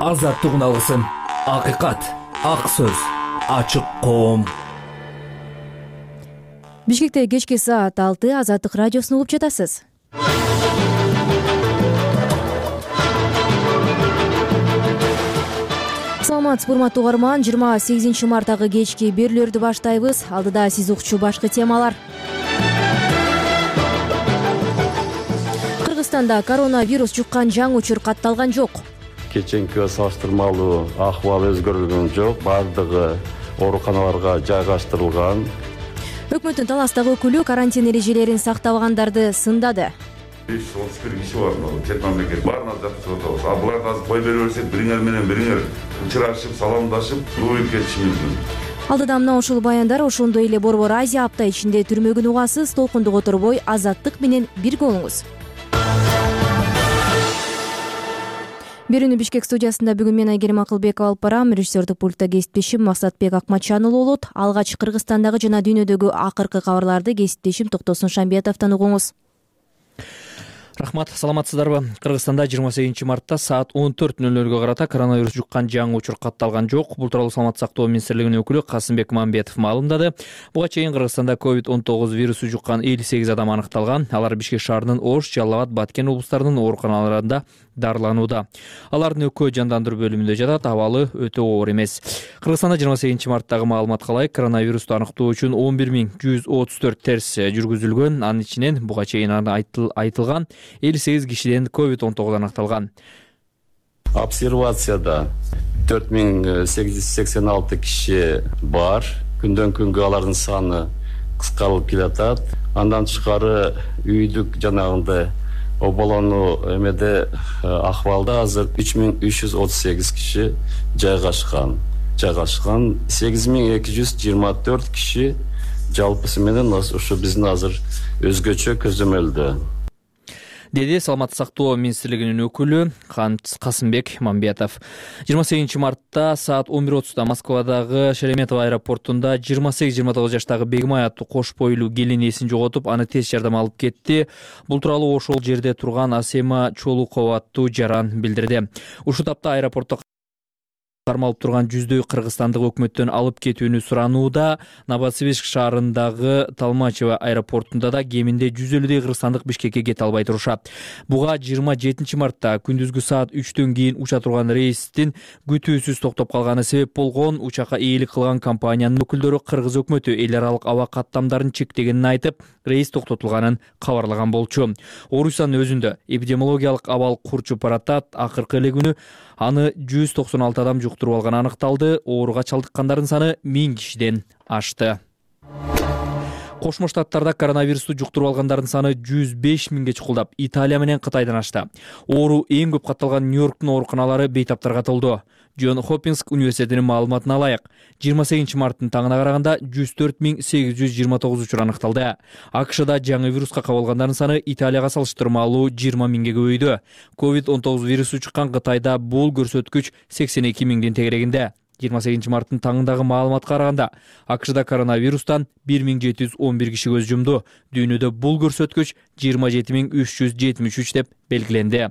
азаттык үналысын. Акыйкат, ак сөз, ачык коом. Бишкекте кечки саат 6 Азаттык радиосун угуп жатасыз. Саламатсызбы урматтуу угарман, 28 марттагы кечки берүүлөрдү баштайбыз. Алдыда сиз укчу башкы темалар. Кыргызстанда коронавирус жуккан жаңы учур катталган жок. Кеченкиге салыштырмалуу акыбал өзгөрүлгөн жок. Бардыгы ооруканаларга жайгаштырылган. Өкмөттүн Таластагы өкүлү карантин эрежелерин сактабагандарды сындады. 531 киши бар, чет мамлекет баарына жаткызып атабыз. А буларды азыр кой берип берсек, бириңер менен бириңер учурашып, саламдашып, жууп кетиши мүмкүн. Алдыда мына ушул баяндар, ошондой эле Борбор Азия апта ичинде түрмөгүн угасыз, толкундук оторбой Азаттык менен бирге болуңуз. Берүүнү Бишкек студиясында бүгүн мен Айгерим Акылбекова алып барам. Режиссердик пультта кесиптешим Максатбек Акматчанұлы болот. Алгач Кыргызстандагы жана дүйнөдөгү акыркы кабарларды кесиптешим Токтосун Шамбиятовдон угуңуз. Рахмат, саламатсыздарбы? Кыргызстанда 28 мартта саат 14:00 карата коронавирус жуккан жаңы учур катталган жок. Бул тууралуу Саламаттык сактоо министрлигинин өкүлү Касымбек Мамбетов маалымдады. Буга чейин Кыргызстанда COVID-19 вирусу жуккан 58 адам аныкталган. Алар Бишкек шаарынын Ош, Жалал Абад, Баткен облустарынын ооруканаларында дарыланууда. Алардын экөө жандандыруу бөлүмүндө жатат, абалы өтө оор эмес. Кыргызстанда 28 марттагы маалыматка ылайык коронавирусту аныктоо үчүн 11134 тест жүргүзүлгөн. Анын ичинен буга чейин айтылган 58 кишиден COVID-19 аныкталган. Обсервацияда 4886 киши бар. Күндөн күнгө алардын саны кыскарылып келатат. Андан тышкары үйдүк жанагындай оболонуу эмеде акыбалда азыр 3338 киши жайгашкан. 8224 киши жалпысы менен ушу биздин азыр өзгөчө көзөмөлдө. Деди Саламаттык сактоо министрлигинин өкүлү Касымбек Мамбетов. 28 мартта саат 11:30 Москвадагы Шереметьево аэропортунда 28-29 жаштагы Бегимай аттуу кош бойлуу келин эсин жоготуп, аны тез жардам алып кетти. Бул тууралуу ошол жерде турган Асема Чолукова аттуу жаран билдирди. Ушул тапта аэропортто кармалып турган жүздөй кыргызстандык өкмөттөн алып кетүүнү суранууда. Новосибирск шаарындагы Толмачево аэропортунда да кеминде 150 кыргызстандык Бишкекке кете албай турушат. Буга 27 мартта күндүзгү саат 3төн кийин уча турган рейстин күтүүсүз токтоп калганы себеп болгон. Учакка ээлик кылган компаниянын өкүлдөрү кыргыз өкмөтү эл аралык аба каттамдарын чектегенин айтып, рейс токтотулганын кабарлаган болчу. Орусиянын өзүндө эпидемиологиялык абал курчуп баратат. Акыркы эле күнү аны 196 адам жуктуруп алганы аныкталды. Ооруга чалдыккандардын саны 1000 кишиден ашты. Кошмо Штаттарда коронавирусту жуктуруп алгандардын саны 105 миңге чукулдап, Италия менен Кытайдан ашты. Оору эң көп катталган Нью-Йорктун ооруканалары бейтаптарга толду. Джон Хопкинс университетинин маалыматына ылайык, 28 марттын таңына караганда 104.829 учур аныкталды. АКШда жаңы вируска кабылгандардын саны Италияга салыштырмалуу 20 миңге көбөйдү. COVID-19 вирусу чыккан Кытайда бул көрсөткүч 82 миңдин тегерегинде. 28 марттын таңындагы маалыматка караганда, АКШда коронавирустан 1711 киши көз жумду. Дүйнөдө бул көрсөткүч 27373 деп белгиленди.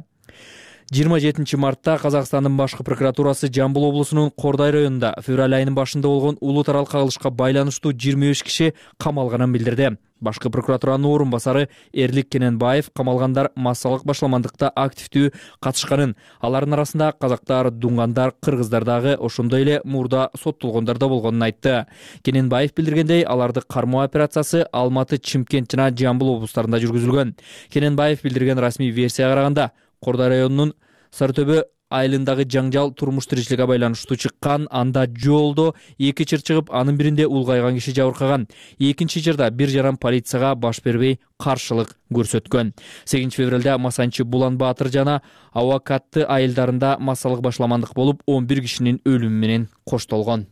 27 мартта Казакстандын башкы прокуратурасы Жамбыл облусунун Кордай районунда февраль айынын башында болгон улуу тарал кагылышка байланыштуу 25 киши камалганын билдирди. Башкы прокуратуранын орун басары Эрлик Кененбаев камалгандар массалык башламандыкта активдүү катышканын, алардын арасында казактар, дуңгандар, кыргыздар дагы, ошондой эле мурда соттолгондар да болгонун айтты. Кененбаев билдиргендей, аларды кармоо операциясы Алматы, Чымкент жана Жамбыл облустарында жүргүзүлгөн. Кененбаев билдирген расмий версияга караганда, Кордай районунун Сарытөбө айылындагы жаңжал турмуш тиричиликке байланыштуу чыккан. Анда жолдо 2 чыр чыгып, анын биринде улгайган киши жабыркаган. Экинчи чырда бир жаран полицияга баш бербей каршылык көрсөткөн. 8 февралда Масанчы, Булан Баатыр жана Авакатты айылдарында массалык башламандык болуп, 11 кишинин өлүмү менен коштолгон.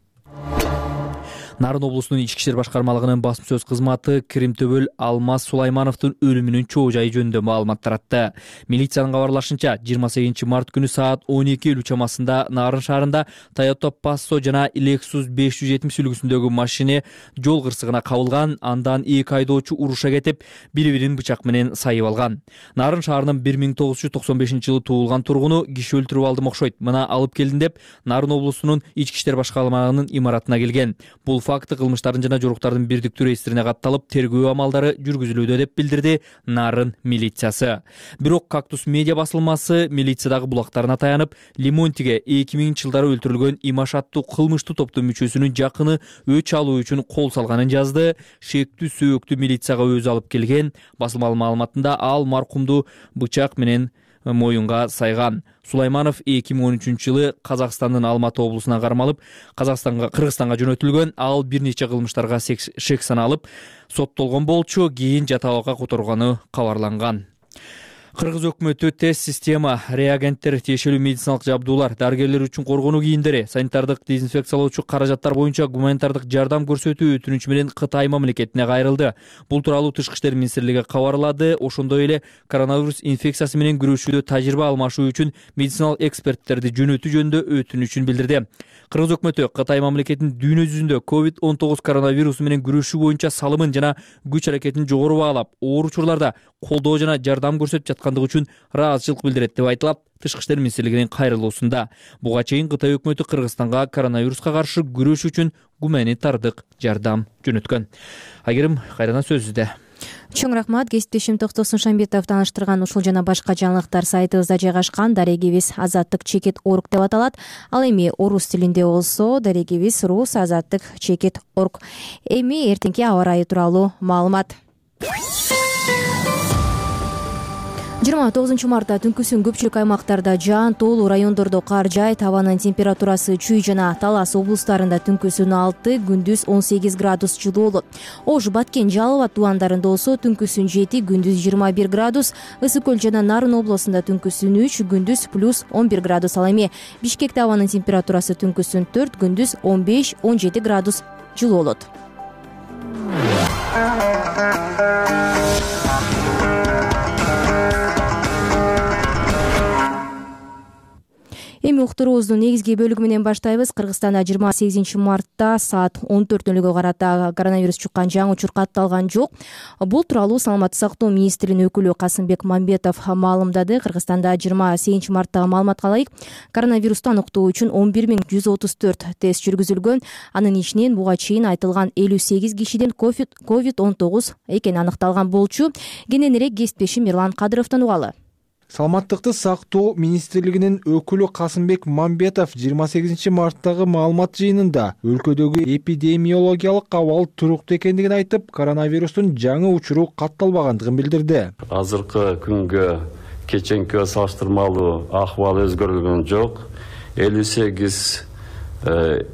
Нарын облусунун ички иштер башкармалыгынын басма сөз кызматы Киримтөбөл Алмаз Сулаймановдун өлүмүнүн чоо жайы жөнүндө маалымат таратты. Милициянын кабарлашынча 28 март күнү саат 12:50 чамасында Нарын шаарында Toyota Passo жана Lexus 570 үлгүсүндөгү машина жол кырсыгына кабылган. Андан эки айдоочу уруша кетип, бири-бирин бычак менен сайып алган. Нарын шаарынын 1995-жылы туулган тургуну киши өлтүрүп алдым окшойт, мына алып келдим деп Нарын облусунун ички иштер башкармалыгынын имаратына келген. Бул факты кылмыштардын жана жоруктардын бирдиктүү реестрине катталып, тергөө амалдары жүргүзүлүүдө деп билдирди Нарын милициясы. Бирок Кактус медиа басылмасы милициядагы булактарына таянып, Лемонтиге 2000-жылдары өлтүрүлгөн Имаш аттуу кылмыштуу топтун мүчөсүнүн жакыны өч алуу үчүн кол салганын жазды. Шектүү сөөктү милицияга өзү алып келген. Басылмалын маалыматында ал маркумду бычак менен моюнга сайган. Сулайманов 2013-жылы Казакстандын Алматы облусуна кармалып, Кыргызстанга жөнөтүлгөн. Ал бир нече кылмыштарга шек саналып, соттолгон болчу, кийин жатабакка которгону кабарланган. Кыргыз өкмөтү тест система, реагенттер, тиешелүү медициналык жабдуулар, дарыгерлер үчүн коргонуу кийимдери, санитардык дезинфекциялоочу каражаттар боюнча гуманитардык жардам көрсөтүү өтүнүчү менен Кытай мамлекетине кайрылды. Бул тууралуу Тышкы иштер министрлиги кабарлады. Ошондой эле коронавирус инфекциясы менен күрөшүүдө тажрыйба алмашуу үчүн медициналык эксперттерди жөнөтүү жөнүндө өтүнүчүн билдирди. Кыргыз өкмөтү Кытай мамлекетинин дүйнө жүзүндө COVID-19 коронавирусу менен күрөшүү боюнча салымын жана күч аракетин жогору баалап, оор учурларда колдоо жана жардам көрсөтүп жаткандыгы үчүн ыраазычылык билдирет деп айтылат Тышкы иштер министрлигинин кайрылуусунда. Буга чейин Кытай өкмөтү Кыргызстанга коронавируска каршы күрөшүү үчүн гуманитардык жардам жөнөткөн. Айгерим, кайрадан сөзүздө. Чоң рахмат. Кесиптешим Токтосун Шамбетов тааныштырган ушул жана башка жаңылыктар сайтыбызда жайгашкан. Дарегибиз azattik.org деп аталат. Ал эми орус тилинде болсо дарегибиз rus.azattik.org. Эми эртеңки аба ырайы тууралуу маалымат. 29 мартта түнкүсүн көпчүлүк аймактарда жаан, тоолуу райондордо кар жаайт. Абанын температурасы Чүй жана Талас облустарында түнкүсүн 6, күндүз 18 градус жылуу болот. Ош, Баткен, Жалал абад тубандарында болсо түнкүсүн 7, күндүз 21 градус. Ысык көл жана Нарын облусунда түнкүсүн 3, күндүз плюс 11 градус. Ал эми Бишкекте абанын температурасы түнкүсүн 4, күндүз 15-17 градус жылуу болот. Эми уктуруубуздун негизги бөлүгү менен баштайбыз. Кыргызстанда 28 мартта саат 14:00 карата коронавирус чуккан жаңы учур катталган жок. Бул тууралуу Саламаттык сактоо министринин өкүлү Касымбек Мамбетов маалымдады. Кыргызстанда 28 марттагы маалыматка ылайык коронавирусту аныктоо үчүн 11134 тест жүргүзүлгөн. Анын ичинен буга чейин айтылган 58 кишиден COVID-19 экени аныкталган болчу. Кененирээк кесиптешим Эрлан Кадыровдон угалы. Саламаттыкты сактоо министрлигинин өкүлү Касымбек Мамбетов 28 марттагы маалымат жыйынында өлкөдөгү эпидемиологиялык абал туруктуу экендигин айтып, коронавирустун жаңы учуру катталбагандыгын билдирди. Азыркы күнгө кеченкиге салыштырмалуу акыбал өзгөрүлгөн жок. 58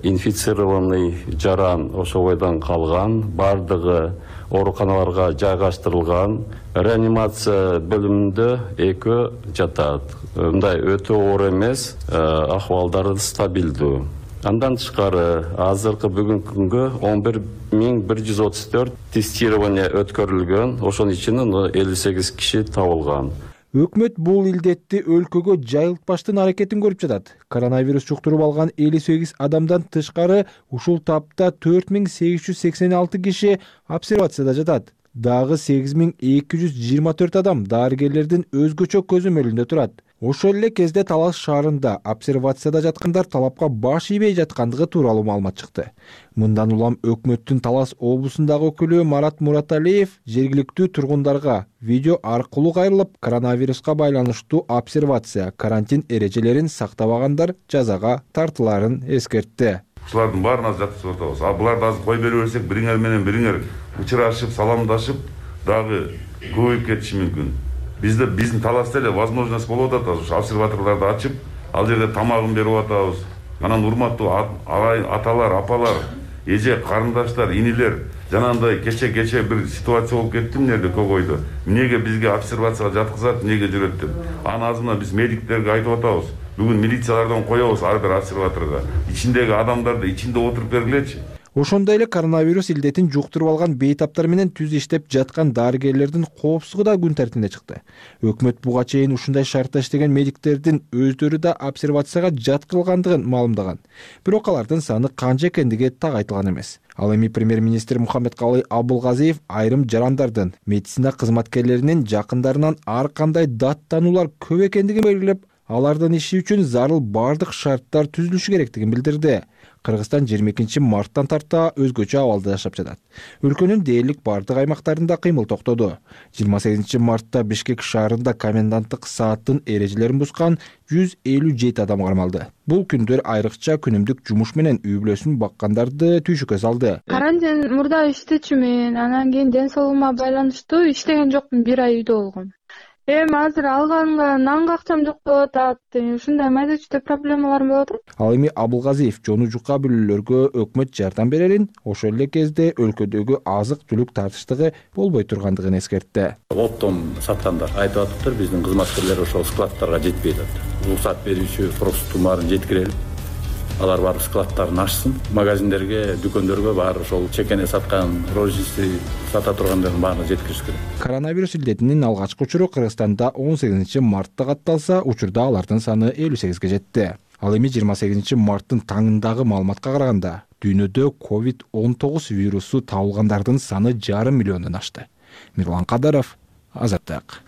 инфицированный жаран ошол бойдон калган, бардыгы ооруканаларга жайгаштырылган. Реанимация бөлүмүндө 2 жатат. Мындай өтө оор эмес, акыбалдары стабилдүү. Андан тышкары азыркы бүгүнкү күнгө 11134 тестирование өткөрүлгөн. Ошонун ичинен 58 киши табылган. Өкмөт бул илдетти өлкөгө жайылтпаштын аракетин көрүп жатат. Коронавирус жуктуруп алган 58 адамдан тышкары ушул тапта 4886 киши обсервацияда жатат. Дагы 8224 адам дарыгерлердин өзгөчө көзөмөлүндө турат. Ошол эле кезде Талас шаарында обсервацияда жаткандар талапка баш ийбей жаткандыгы тууралуу маалымат чыкты. Мындан улам өкмөттүн Талас облусундагы өкүлү Марат Мураталиев жергиликтүү тургундарга видео аркылуу кайрылып, коронавируска байланыштуу обсервация, карантин эрежелерин сактабагандар жазага тартыларын эскертти. Ушулардын баарына жаткызып атабыз. А буларды азыр кой берип берсек, бириңер менен бириңер учурашып, саламдашып, дагы көбөйүп кетиши мүмкүн. Биздин Таласта эле возможность болуп атат, ушу обсерваторлорду ачып, ал жерде тамагын берип атабыз. Анан урматтуу аталар, апалар, эже, карындаштар, инилер, жанагындай кече бир ситуация болуп кетти эмнеде Көгөйдө. Эмнеге бизге обсервацияга жаткызат, эмнеге жүрөт деп. Аны азырына биз медиктерге айтып атабыз. Бүгүн милициялардан коебуз ар бир обсерваторго. Ичиндеги адамдарды ичинде отуруп бергилечи. Ошондой эле коронавирус илдетин жуктуруп алган бейтаптар менен түз иштеп жаткан дарыгерлердин коопсуздугу да күн тартибине чыкты. Өкмөт буга чейин ушундай шартта иштеген медиктердин өздөрү да обсервацияга жаткырылгандыгын маалымдаган. Бирок алардын саны канча экендиги так айтылган эмес. Ал эми премьер-министр Мухаммедкалый Абылгазиев айрым жарандардын, медицина кызматкерлеринин жакындарынан ар кандай даттануулар көп экендигин белгилеп, алардын иши үчүн зарыл бардык шарттар түзүлүшү керектигин билдирди. Кыргызстан 22 марттан тарта өзгөчө абалда жашап жатат. Өлкөнүн дээрлик бардык аймактарында кыймыл токтоду. 28 мартта Бишкек шаарында коменданттык сааттын эрежелерин бузган 157 адам кармалды. Бул күндөр айрыкча күнүмдүк жумуш менен үй бүлөсүн баккандарды түйшүккө салды. Карантин мурда иштечүмүн, анан кийин ден соолугума байланыштуу иштеген жокмун, 1 ай үйдө болгом. Эми азыр алганга нанга акчам жок болуп атат. Ушундай майда чүйдө проблемаларым болуп атат. Ал эми Абылгазиев жону жука бүлөлөргө өкмөт жардам берерин, ошол эле кезде өлкөдөгү азык-түлүк тартыштыгы болбой тургандыгын эскертти. Оптом саткандар айтып атыптыр, биздин кызматкерлер ошол складтарга жетпей атат. Уруксат берүүчү просто баарын жеткирели. Алар барып складтарын ачсын, магазиндерге, дүкөндөргө баары ошол чекене саткан, розничный сата тургандардын баарына жеткириш керек. Коронавирус илдетинин алгачкы учуру Кыргызстанда 18 мартта катталса, учурда алардын саны 58ге жетти. Ал эми 28 марттын таңындагы маалыматка караганда, дүйнөдө COVID-19 вирусу табылгандардын саны 5,5 миллиондон ашты. Мирлан Кадаров, Азаттык.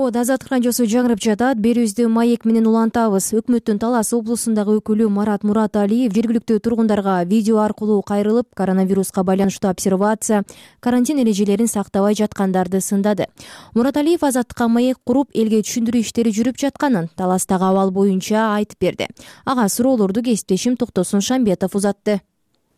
Азаттык радиосу жаңырып жатат. Берүүбүздү маек менен улантабыз. Өкмөттүн Талас облусундагы өкүлү Марат Мураталиев жергиликтүү тургундарга видео аркылуу кайрылып, коронавируска байланыштуу обсервация, карантин эрежелерин сактабай жаткандарды сындады. Мураталиев Азаттыкка маек куруп, элге түшүндүрүү иштери жүрүп жатканын, Таластагы абал боюнча айтып берди. Ага суроолорду кесиптешим Токтосун Шамбетов узатты.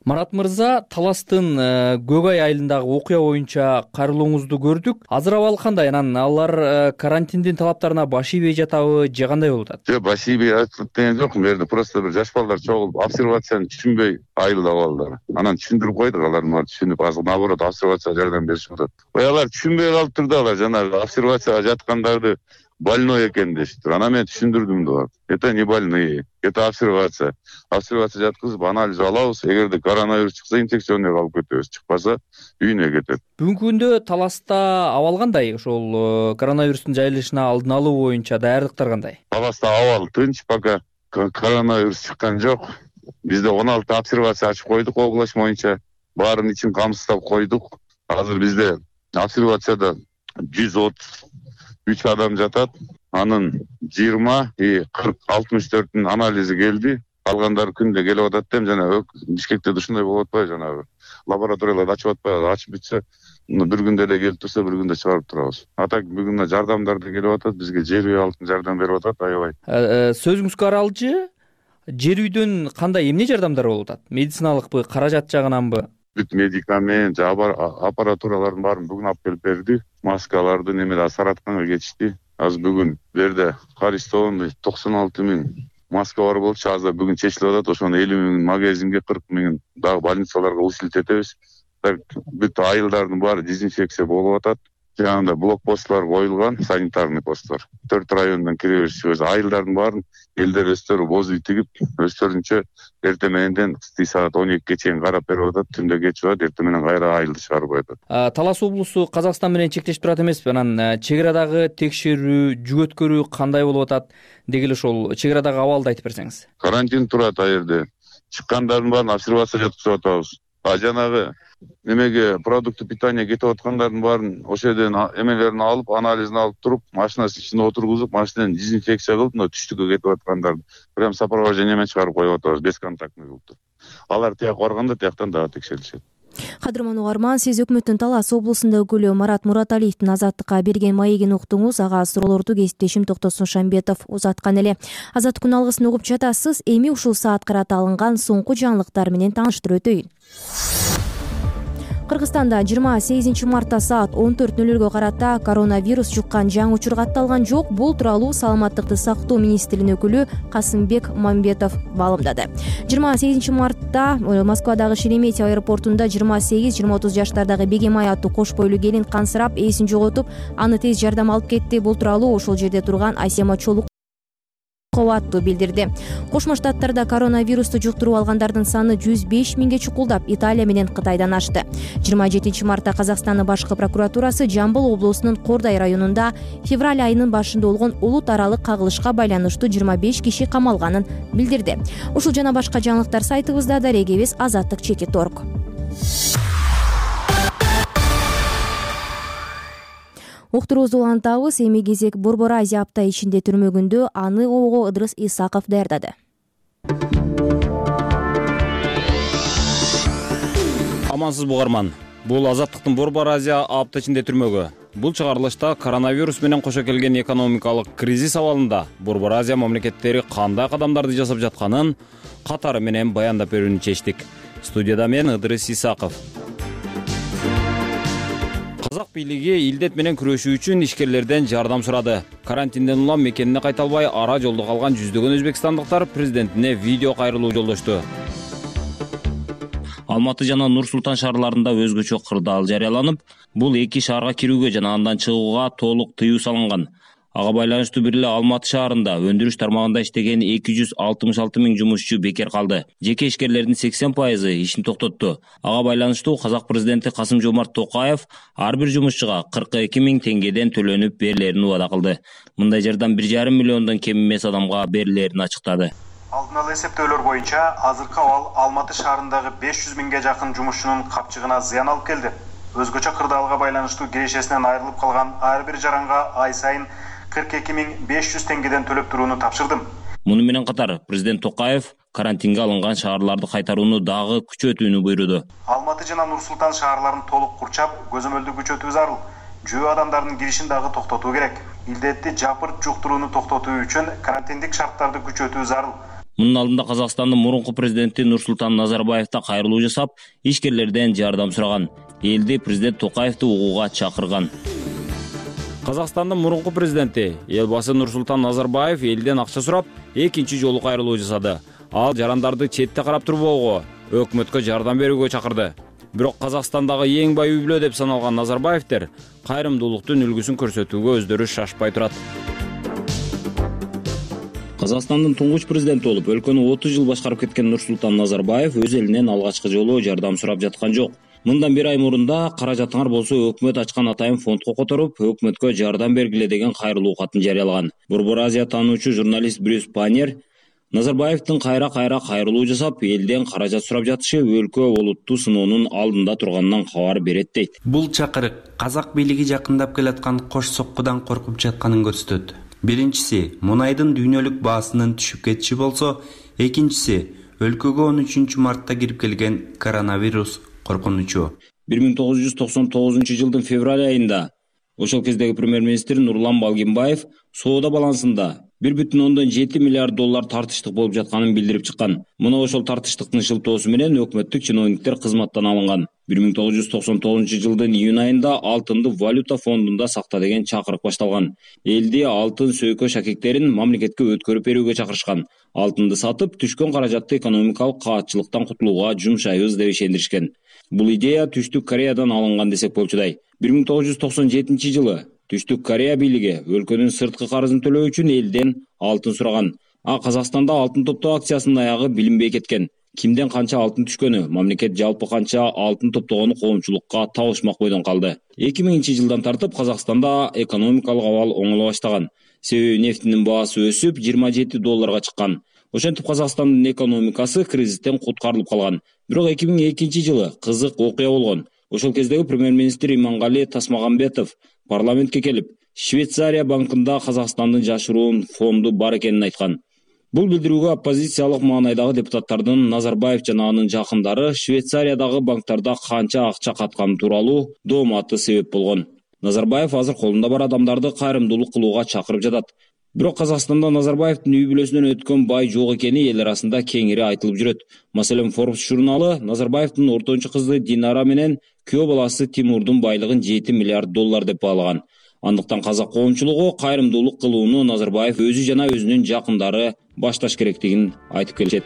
Марат мырза, Таластын Көк ай айылындагы окуя боюнча кайрылууңузду көрдүк. Азыр абал кандай? Анан алар карантиндин талаптарына баш ийбей жатабы, же кандай болуп атат? Жок, баш ийбей атат деген жок. Бу жерде просто бир жаш балдар чогулуп, обсервацияны түшүнбөй айылда балдар. Анан түшүндүрүп койдук, алар түшүнүп, азыр наоборот обсервацияга жардам беришип атат. Алар түшүнбөй калып турду, алар жанагы обсервацияга жаткандарды больной экен дештир. Анан мен түшүндүрдүм да. Это не больные, это обсервация. Обсервация жаткызып анализ алабыз. Эгерде коронавирус чыкса, инфекционный алып кетебиз. Чыкпаса, үйүнө кетет. Бүгүнкү күндө Таласта абал кандай? Ошол коронавирустун жайылышына алдын алуу боюнча даярдыктар кандай? Таласта абал тынч, пока коронавирус чыккан жок. Бизде 16 обсервация ачып койдук область боюнча. Баарын ичин камсыздап койдук. Азыр бизде обсервацияда 133 адам жатат. Анын 20 и 40-64-түн анализи келди. Калгандары күндө келип атат дем, жана Бишкекте ушундай болуп атпайбы, жанагы лабораторияларды ачып атпайбы, ачып бүтсө, бир күндө эле келип турса, бир күндө чыгарып турабыз. Атак бүгүн жардамдар да келип атат, бизге жер үй алтын жардам берип атат, аябай. Сөзүңүзгө аралчы, жер үйдөн кандай эмне жардамдар болуп атат? Медициналыкпы, каражат жагынанбы? Бүт медикамент, аппаратуралардын баарын бүгүн алып келип берди. Маскаларды немеде Саратканга кетишти. Азыр бүгүн берде арестованный 96 000 маска бар болчу. Азыр бүгүн чечилип атат. Ошону 50 000 магазинге, 40 000 дагы больницаларга усилтетебиз. Бүт айылдардын баары дезинфекция болуп атат. Жанагындай блокпосттор коюлган, санитарный посттор. 4 райондон кире беришибиз. Айылдардын баарын элдер өздөрү боз үй тигип, өздөрүнчө эрте мененден саат 12ге чейин карап берип атат. Түндө кечип атат, эрте менен кайра айылды чыгарып атат. Талас облусу Казакстан менен чектешип турат эмеспи? Анан чек арадагы текшерүү, жүгөткөрүү кандай болуп атат? Деги эле ошол чек арадагы абалды айтып берсеңиз. Карантин турат ал жерде. Чыккандардын баарын обсервация жаткызып атабыз. Жанагы немеге продукты питания кетип аткандардын баарын ошол жерден эмелерин алып, анализин алып туруп, машинанын ичине отургузуп, машинаны дезинфекция кылып, мына түштүккө кетип аткандарды прям сопровождение менен чыгарып коюп атабыз, бесконтактный кылып. Алар тияк барганда тияктан дагы текшерилишет. Кадырман угарман, сиз өкмөттүн Талас облусунда өкүлү Марат Мураталиевдин Азаттыкка берген маегин уктуңуз. Ага суроолорду кесиптешим Токтосун Шамбетов узаткан эле. Азаттыктын алгысын угуп жатасыз. Эми ушул саат карата алынган соңку жаңылыктар менен тааныштырып өтөйүн. Кыргызстанда 28 мартта саат 14:00 карата коронавирус жуккан жаңы учур катталган жок. Бул тууралуу Саламаттыкты сактоо министринин өкүлү Касымбек Мамбетов маалымдады. 28 мартта Москвадагы Шереметьево аэропортунда 28-30 жаштардагы Бегемай аттуу кош бойлуу келин кансырап, эсин жоготуп, аны тез жардам алып кетти. Бул тууралуу ошол жерде турган Асема Чолук аттуу билдирди. Кошмо Штаттарда коронавирусту жуктуруп алгандардын саны 105 миңге чукулдап, Италия менен Кытайдан ашты. 27 мартта Казакстандын башкы прокуратурасы Жамбыл облусунун Кордай районунда февраль айынын башында болгон улут аралык кагылышка байланыштуу 25 киши камалганын билдирди. Ушул жана башка жаңылыктар сайтыбызда, дарегибиз azаттык.org. Уктуруубузду улантабыз. Эми кезек Борбор Азия апта ичинде түрмөгүндө аны ого Ыдырыс Исаков даярдады. Амансызбы угарман. Бул Азаттыктын Борбор Азия апта ичинде түрмөгү. Бул чыгарылышта коронавирус менен кошо келген экономикалык кризис абалында Борбор Азия мамлекеттери кандай кадамдарды жасап жатканын катары менен баяндап берүүнү чечтик. Студияда мен Ыдырыс Исаков. Казак бийлиги илдет менен күрөшүү үчүн ишкерлерден жардам сурады. Карантинден улам мекенине кайта албай ара жолдо калган жүздөгөн өзбекстандыктар президентине видео кайрылуу жолдошту. Алматы жана Нур-Султан шаарларында өзгөчө кырдаал жарыяланып, бул эки шаарга кирүүгө жана андан чыгууга толук тыюу салынган. Ага байланыштуу бир эле Алматы шаарында өндүрүш тармагында иштеген 266 миң жумушчу бекер калды. Жеке ишкерлердин 80% ишин токтотту. Ага байланыштуу Казак президенти Касым-Жомарт Токаев ар бир жумушчуга 42 миң теңгеден төлөнүп берилерин убада кылды. Мындай жардам 1,5 миллиондон кем эмес адамга берилерин ачыктады. Алдын ала эсептөөлөр боюнча азыркы абал Алматы шаарындагы 500 миңге жакын жумушчунун капчыгына зыян алып келди. Өзгөчө кырдаалга байланыштуу кирешесинен айрылып калган ар бир жаранга ай сайын 42 миң 500 теңгеден төлөп турууну тапшырдым. Муну менен катар президент Токаев карантинге алынган шаарларды кайтарууну дагы күчөтүүнү буйруду. Алматы жана Нур-Султан шаарларын толук курчап, көзөмөлдү күчөтүү зарыл. Жөө адамдардын киришин дагы токтотуу керек. Илдетти жапырт жуктурууну токтотуу үчүн карантиндик шарттарды күчөтүү зарыл. Мунун алдында Казакстандын мурунку президенти Нурсултан Назарбаев да кайрылуу жасап, ишкерлерден жардам сураган. Элди президент Токаевди угууга чакырган. Казакстандын мурунку президенти элбасы Нурсултан Назарбаев элден акча сурап, экинчи жолу кайрылуу жасады. Ал жарандарды четте карап турбоого, өкмөткө жардам берүүгө чакырды. Бирок Казакстандагы эң бай үй бүлө деп саналган Назарбаевдер кайрымдуулуктун үлгүсүн көрсөтүүгө өздөрү шашпай турат. Казакстандын туңгуч президенти болуп, өлкөнү 30 жыл башкарып кеткен Нурсултан Назарбаев өз элинен алгачкы жолу жардам сурап жаткан жок. Мындан бир ай мурунда каражатыңар болсо өкмөт ачкан атайын фондко которуп, өкмөткө жардам бергиле деген кайрылуу катын жарыялаган. Борбор Азия таануучу журналист Брюс Панер Назарбаевдин кайра кайрылуу жасап, элден каражат сурап жатышы өлкө олуттуу сыноонун алдында турганынан кабар берет дейт. Бул чакырык казак бийлиги жакындап келаткан кош соккудан коркуп жатканын көрсөтөт. Биринчиси мунайдын дүйнөлүк баасынын түшүп кетиши болсо, экинчиси өлкөгө 13 мартта кирип келген коронавирус коркунучу. 1999 жылдын февраль айында ошол кездеги премьер-министр Нурлан Балгинбаев соода балансында 1,7 миллиард доллар тартыштык болуп жатканын билдирип чыккан. Мына ошол тартыштыктын шылтоосу менен өкмөттүк чиновниктер кызматтан алынган. 1999 жылдын июнь айында алтынды валюта фондунда сакта деген чакырык башталган. Элди алтын сөйкө шакектерин мамлекетке өткөрүп берүүгө чакырышкан. Алтынды сатып, түшкөн каражатты экономикалык каатчылыктан кутулууга жумшайбыз деп ишендиришкен. Бул идея Түштүк Кореядан алынган десек болчудай. 1997 жылы Түштүк Корея бийлиги өлкөнүн сырткы карызын төлөө үчүн элден алтын сураган. Казакстанда алтын топтоо акциясынын аягы билинбей кеткен. Кимден канча алтын түшкөнү, мамлекет жалпы канча алтын топтогону коомчулукка табышмак бойдон калды. 2000 жылдан тартып Казакстанда экономикалык абал оңоло баштаган. Себеби нефтинин баасы өсүп, $27 чыккан. Ошентип Казакстандын экономикасы кризистен куткарылып калган. Бирок 2002 жылы кызык окуя болгон. Ошол кездеги премьер-министр Имангали Тасмагамбетов парламентке келип, Швейцария банкында Казакстандын жашыруун фонду бар экенин айткан. Бул билдирүүгө оппозициялык маанайдагы депутаттардын Назарбаев жана анын жакындары Швейцариядагы банктарда канча акча катканы тууралуу дооматы себеп болгон. Назарбаев азыр колунда бар адамдарды кайрымдуулук кылууга чакырып жатат. Бирок Казакстанда Назарбаевдин үй бүлөсүнөн өткөн бай жок экени эл арасында кеңири айтылып жүрөт. Маселен, Forbes журналы Назарбаевдин ортончу кызы Динара менен күйөө баласы Тимурдун байлыгын $7 миллиард деп баалаган. Андыктан казак коомчулугу кайрымдуулук кылууну Назарбаев өзү жана өзүнүн жакындары башташ керектигин айтып келишет.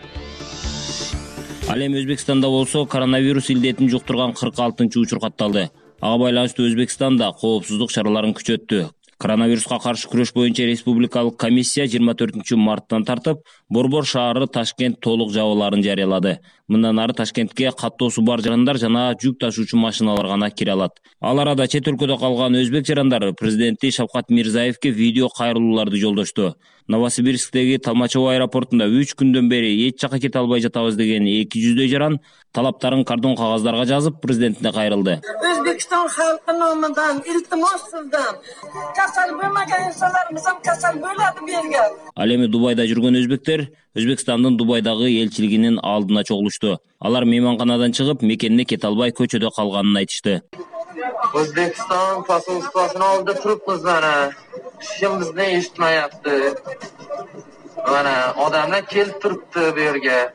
Ал эми Өзбекстанда болсо коронавирус илдетин жуктурган 46-учур катталды. Ага байланыштуу Өзбекстанда коопсуздук чараларын күчөттү. Коронавируска каршы күрөш боюнча республикалык комиссия 24 марттан тартып Борбор шаары Ташкент толук жабылаарын жарыялады. Мындан ары Ташкентке каттоосу бар жарандар жана жүк ташуучу машиналар гана кире алат. Ал арада чет өлкөдө калган өзбек жарандары президенти Шавкат Мирзиевке видео кайрылууларды жолдошту. Новосибирсктеги Толмачево аэропортунда 3 күндөн бери эч жака кете албай жатабыз деген 200 жаран талаптарын кардон кагаздарга жазып президентине кайрылды. Өзбекстан халкы номунан илтимос сизден касал болмаган инсандарыбыздан касал болот берге. Ал эми Дубайда жүргөн өзбектер Өзбекстандын Дубайдагы элчилигинин алдына чогулушту. Алар мейманканадан чыгып, мекенине кете албай көчөдө калганын айтышты. Өзбекстан посольствосуна алды туруппуз мана. Ким бизни эшитмаяпты. Мана адамдар келип турупту бу жерге.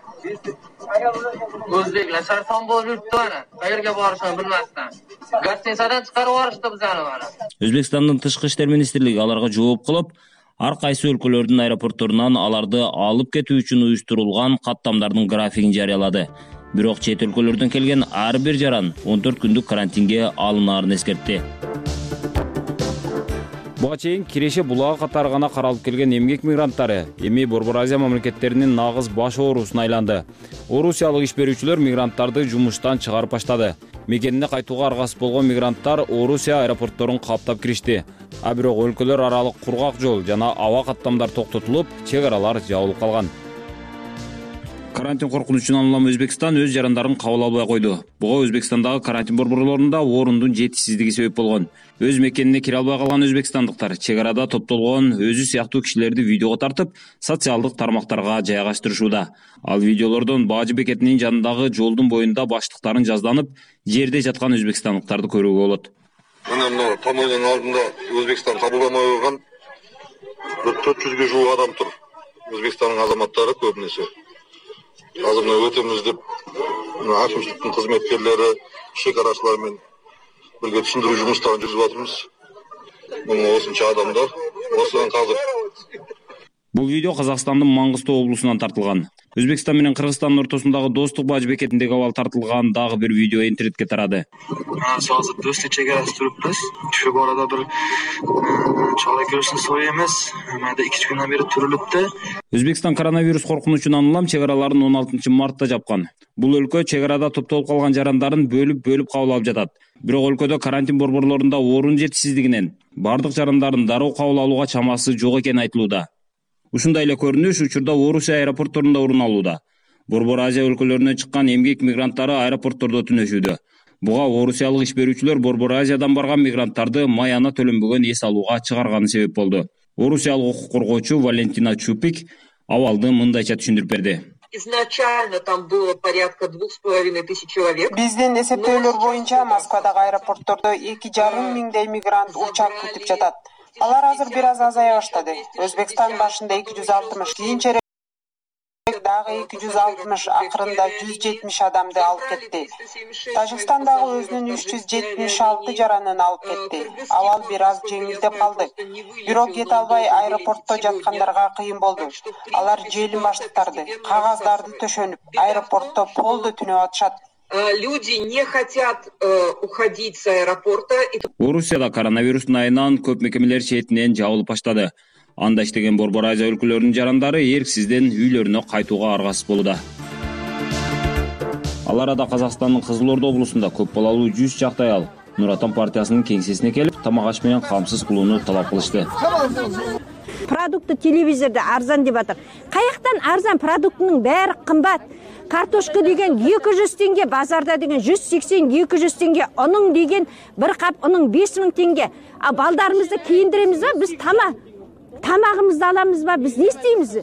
Өзбеклер сарсон болуп жүрүптү мана. Кайерге барышын билместен. Гостиницадан чыгарып барышты бизани мана. Өзбекстандын тышкы иштер министрлиги аларга жооп кылып, ар кайсы өлкөлөрдүн аэропортторунан аларды алып кетүү үчүн уюштурулган каттамдардын графигин жарыялады. Бирок чет өлкөлөрдөн келген ар бир жаран 14 күндүк карантинге алынаарын эскертти. Буга чейин Киреше булагы катары гана каралып келген эмгек мигранттары эми Борбор Азия мамлекеттеринин нагыз баш оорусуна айланды. Орусиялык иш берүүчүлөр мигранттарды жумуштан чыгарып баштады. Мекенине кайтууга аргасыз болгон мигранттар Орусия аэропортторун каптап киришти. А бирок өлкөлөр аралык кургак жол жана аба каттамдар токтотулуп, чек аралар жабылып калган. Карантин коркунучунан улам Өзбекстан өз жарандарын кабыл албай койду. Буга Өзбекстандагы карантин борборлорунда орундун жетишсиздиги себеп болгон. Өз мекенине кире албай калган өзбекстандыктар чек арада топтолгон өзү сыяктуу кишилерди видеого тартып, социалдык тармактарга жайгаштырышууда. Ал видеолордон Баажы бекетинин жанындагы жолдун боюнда баштыктарын жазданып, жерде жаткан өзбекстандыктарды көрүүгө болот. Мына помойнун алдында Өзбекстан кабылдамай койгон 400-ге жуuk адам тур. Өзбекстандын азаматтары көбүнесе. Азыр мына өтөмүз деп акимчиликтин кызметкерлери, шекарачылар менен бирге түшүндүрүү жумуштарын жүргүзүп атабыз. Мына осунча адамдар осудан казыр. Бул видео Казакстандын Маңгыстоо облусунан тартылган. Өзбекстан менен Кыргызстандын ортосундагы достук Баажы бекетиндеги абал тартылган дагы бир видео интернетке тарады. Азыр достук чек арасы туруппуз. Ушул арада бир чала көрүшүн сой эмес. Мында 2 күндөн бери турулупту. Өзбекстан коронавирус коркунучунан улам чек араларын 16 мартта жапкан. Бул өлкө чек арада топтолуп калган жарандарын бөлүп кабыл алып жатат. Бирок өлкөдө карантин борборлорунда орун жетишсиздигинен бардык жарандардын дароо кабыл алууга чамасы жок экени айтылууда. Ушундай эле көрүнүш учурда Орусия аэропортторунда орун алууда. Борбор Азия өлкөлөрүнөн чыккан эмгек мигранттары аэропорттордо түнөшүүдө. Буга орусиялык иш берүүчүлөр Борбор Азиядан барган мигранттарды маяна төлөнбөгөн эс алууга чыгарганы себеп болду. Орусиялык укук коргоочу Валентина Чупик абалды мындайча түшүндүрүп берди. Изначально там было порядка 2500 человек. Биздин эсептөөлөр боюнча Москвадагы аэропорттордо 2,5 миңдей мигрант учак күтүп жатат. Алар азыр бир аз азая баштады. Өзбекстан башында 260, кийинчерээк дагы 260, акырында 170 адамды алып кетти. Тажикстан дагы өзүнүн 376 жаранын алып кетти. Абал бир аз жеңилдеп калды. Бирок кете албай аэропортто жаткандарга кыйын болду. Алар желим баштыктарды, кагаздарды төшөнүп, аэропортто полду түнөп атышат. Люди не хотят уходить с аэропорта. Орусияда коронавирустун айынан көп мекемелер четинен жабылып баштады. Анда иштеген Борбор Азия өлкөлөрүнүн жарандары эрксизден үйлөрүнө кайтууга аргасыз болууда. Ал арада Казакстандын Кызыл Орда облусунда көп балалуу 100 чакты аял Нур Отан партиясынын кеңсесине келип, тамак аш менен камсыз кылууну талап кылышты. Продукты телевизордо арзан деп атат. Каяктан арзан? Продуктунун баары кымбат. Картошка деген 200 теңге, базарда деген 180-200 теңге, onun деген bir кап, onun 5000 теңге. А балдарыбызды кийиндиремиз ба? Биз тамагыбызды аламыз ба? Биз не истеймиз?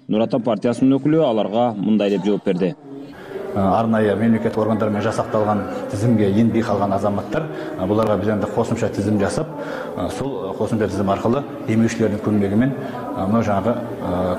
Нур Отан партиясынын өкүлү аларга мындай деп жооп берди. Арнайы мемлекеттик органдар менен жасакталган тизимге енбей калган азаматтар, буларга биз энди кошумча тизим жасап, сол кошумча тизим аркылуу эмгекчилердин көмөгү менен мына жаңы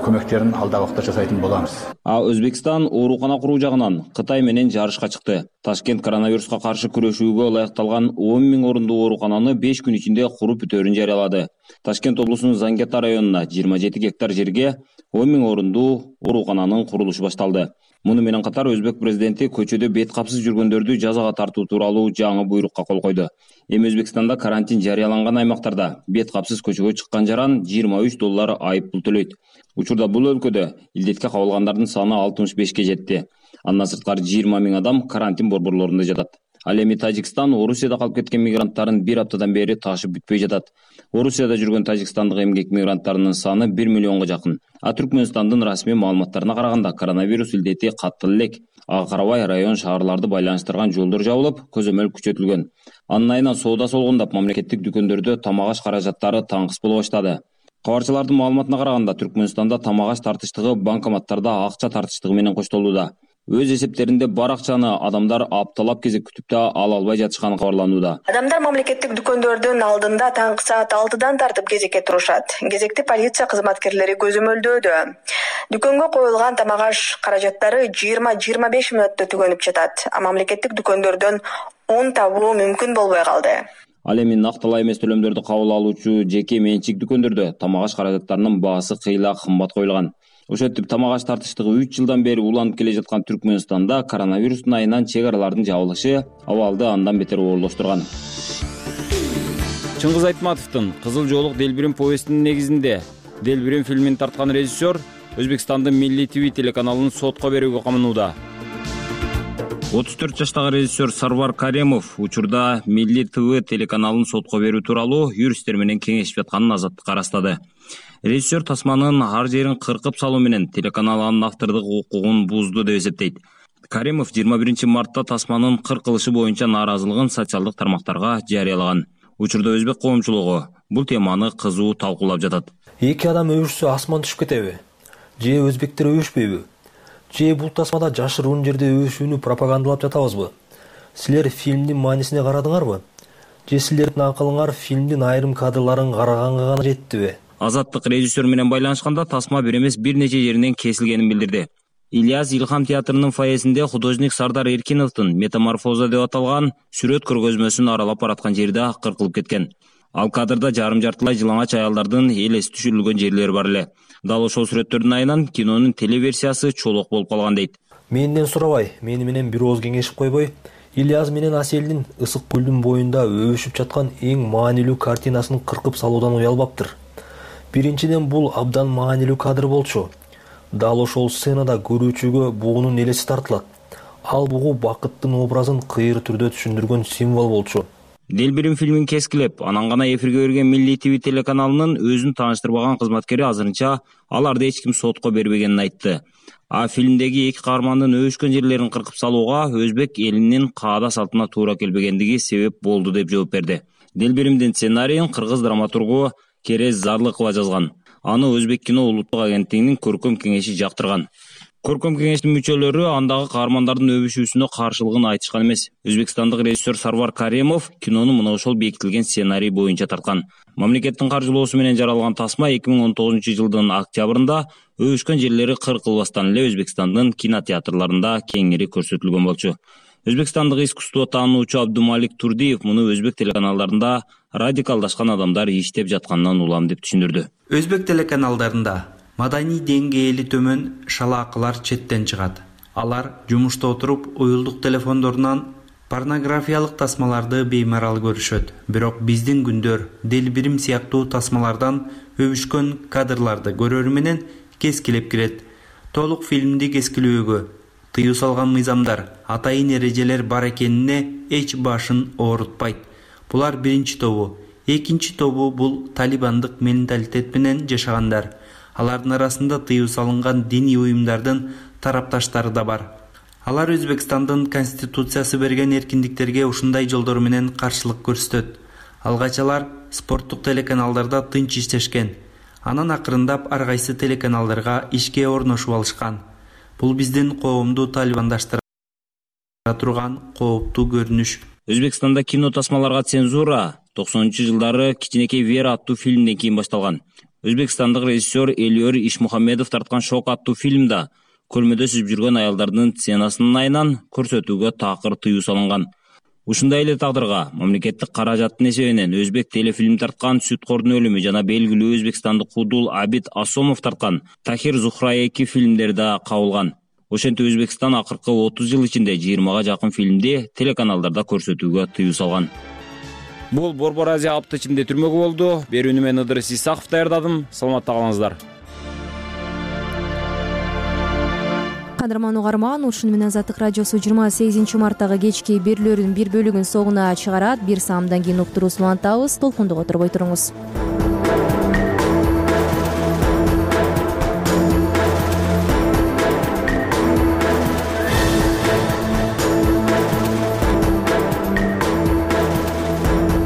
көмөктөрүн алда убакта жасайтын болабыз. Өзбекстан оорукана куруу жагынан Кытай менен жарышка чыкты. Ташкент коронавируска каршы күрөшүүгө ылайыкталган 10 000 орундуу оорукананы 5 күн ичинде куруп бүтөөрүн жарыялады. Ташкент облусунун Зангета районуна 27 гектар жерге 10 000 орундуу оорукананын курулушу башталды. Муну менен катар өзбек президенти көчөдө бет капсыз жүргөндөрдү жазага тартуу тууралуу жаңы буйрукка кол койду. Эми Өзбекстанда карантин жарыяланган аймактарда бет капсыз көчөгө чыккан жаран $23 айыппул төлөйт. Учурда бул өлкөдө илдетке кабылгандардын саны 65 жетти. Андан сырткары 20 000 адам карантин борборлорунда жатат. Ал эми Тажикстан Орусияда калып кеткен мигранттарын бир аптадан бери ташып бүтпөй жатат. Орусияда жүргөн тажикстандык эмгек мигранттарынын саны 1 миллионго жакын. А Түркмөнстандын расмий маалыматтарына караганда коронавирус илдети каттал элек. Ага карабай район шаарларды байланыштырган жолдор жабылып, көзөмөл күчөтүлгөн. Анын айынан соода солгундап, мамлекеттик дүкөндөрдө тамак аш каражаттары таңкыс боло баштады. Кабарчылардын маалыматына караганда, Түркмөнстанда тамак аш тартыштыгы банкоматтарда акча тартыштыгы менен коштолууда. Өз эсептеринде бар акчаны адамдар апталап кезек күтүп да ала албай жатышканы кабарланууда. Адамдар мамлекеттик дүкөндөрдүн алдында таңкы саат 6-дан тартып кезекке турушат. Кезекти полиция кызматкерлери көзөмөлдөөдө. Дүкөнгө коюлган тамак аш каражаттары 20-25 мүнөттө түгөнүп жатат. А мамлекеттик дүкөндөрдөн 10 табуу мүмкүн болбой калды. Ал эми накталай эмес төлөмдөрдү кабыл алуучу жеке менчик дүкөндөрдө тамак аш каражаттарынын баасы кыйла кымбат коюлган. Ошентип тамак аш тартыштыгы 3 жылдан бери уланып келе жаткан Түркмөнстанда коронавирустун айынан чек аралардын жабылышы абалды андан бетер оорлоштурган. Чыңгыз Айтматовдун Кызыл жоолук Делбирим повестинин негизинде Делбирим фильмин тарткан режиссер Өзбекстандын Милли ТВ телеканалын сотко берүүгө каманууда. 34 жаштагы режиссер Сарвар Каремов учурда Милли ТВ телеканалын сотко берүү тууралуу юристтер менен кеңешип жатканын Азаттыкка ырастады. Режиссер тасманын ар жерин кыркып салуу менен телеканал анын автордук укугун бузду деп эсептейт. Каремов 21 мартта тасманын кыркылышы боюнча нааразылыгын социалдык тармактарга жарыялаган. Учурда өзбек коомчулугу бул теманы кызуу талкуулап жатат. Эки адам өбүшсө асман түшүп кетеби? Же өзбектер өбүшпөйбү? Же бул тасмада жашыруун жерде өбүшүүнү пропагандалап жатабызбы? Силер фильмдин маанисине карадыңарбы? Же силердин акылыңар фильмдин айрым кадрларын караганга гана жеттиби? Азаттык режиссер менен байланышканда тасма бир эмес бир нече жеринен кесилгенин билдирди. Ильяс Илхам театрынын фойесинде художник Сардар Эркиновдун Метаморфоза деп аталган сүрөт көргөзмөсүн аралап бараткан жерде кыркылып кеткен. Ал кадрда жарым жартылай жылаңач аялдардын элеси түшүрүлгөн жерлери бар эле. Дал ошол сүрөттөрдүн айынан кинонун телеверсиясы чолок болуп калган дейт. Менден сурабай, мени менен бир ооз кеңешип койбой, Ильяс менен Аселдин Ысык көлдүн боюнда өбүшүп жаткан эң маанилүү картинасын кыркып салуудан уялбаптыр. Биринчиден бул абдан маанилүү кадр болчу. Дал ошол сценада көрүүчүгө бугунун элеси тартылат. Ал бугу бакыттын образын кыйыр түрдө түшүндүргөн символ болчу. Делбирим фильмин кескилеп, анан гана эфирге берген Милли ТВ телеканалынын өзүн тааныштырбаган кызматкери азырынча аларды эч ким сотко бербегенин айтты. А фильмдеги эки каармандын өбүшкөн жерлерин кыркып салууга өзбек элинин каада салтына туура келбегендиги себеп болду деп жооп берди. Делбиримдин сценарийин кыргыз драматургу Керез Зарлыкова жазган. Аны Өзбек кино улуттук агенттигинин көркөм кеңеши жактырган. Көркөм кеңештин мүчөлөрү андагы каармандардын өбүшүүсүнө каршылыгын айтышкан эмес. Өзбекстандык режиссер Сарвар Каремов кинону мына ошол бекитилген сценарий боюнча тарткан. Мамлекеттин каржылоосу менен жаралган тасма 2019 жылдын октябрында өбүшкөн жерлери кыркылбастан эле Өзбекстандын кинотеатрларында кеңири көрсөтүлгөн болчу. Өзбекстандык искусство таануучу Абдумалик Турдиев муну өзбек телеканалдарында радикалдашкан адамдар иштеп жатканынан улам деп түшүндүрдү. Өзбек телеканалдарында маданий деңгээли төмөн шалаакылар четтен чыгат. Алар жумушта отуруп уюлдук телефондорунан порнографиялык тасмаларды беймарал көрүшөт. Бирок биздин күндөр Делбирим сыяктуу тасмалардан өбүшкөн кадрларды көрөрү менен кескилеп кирет. Толук фильмди кескилөөгө тыюу салган мыйзамдар, атайын эрежелер бар экенине эч башын оорутпайт. Булар биринчи тобу. Экинчи тобу бул талибандык менталитет менен жашагандар. Алардын арасында тыюу салынган диний уюмдардын тарапташтары да бар. Алар Өзбекстандын конституциясы берген эркиндиктерге ушундай жолдор менен каршылык көрсөтөт. Алгач алар спорттук телеканалдарда тынч иштешкен. Анан акырындап ар кайсы телеканалдарга ишке орношуп алышкан. Бул биздин коомду талибандаштыра турган кооптуу көрүнүш. Өзбекстанда кино тасмаларга цензура 90-жылдары Кичинекей Вера аттуу фильмден кийин башталган. Өзбекстандык режиссер Элиор Ишмухамедов тарткан Шок аттуу фильмда көрмөдө сүзүп жүргөн аялдардын сценасынын айынан көрсөтүүгө такыр тыюу салынган. Ушундай эле тагдырга мамлекеттик каражаттын эсебинен өзбек телефильм тарткан Сүткордун өлүмү жана белгилүү өзбекстандык Кудул Абид Асомов тарткан Тахир Зухра 2 фильмдери да кабылган. Ошентип Өзбекстан акыркы 30 жыл ичинде 20га жакын фильмди телеканалдарда көрсөтүүгө тыюу салган. Бул Борбор Азия апта ичинде түрмөгү болду. Берүүнү мен Ыдырыс Исаков даярдадым. Саламатта калыңыздар. Кадырман угарман, ушуну менен Азаттык радиосу 28 марттагы кечки берүүлөрдүн бир бөлүгүн соңуна чыгарат. Бир саамдан кийин уктуруусун улантабыз. Толкундук отурбой туруңуз.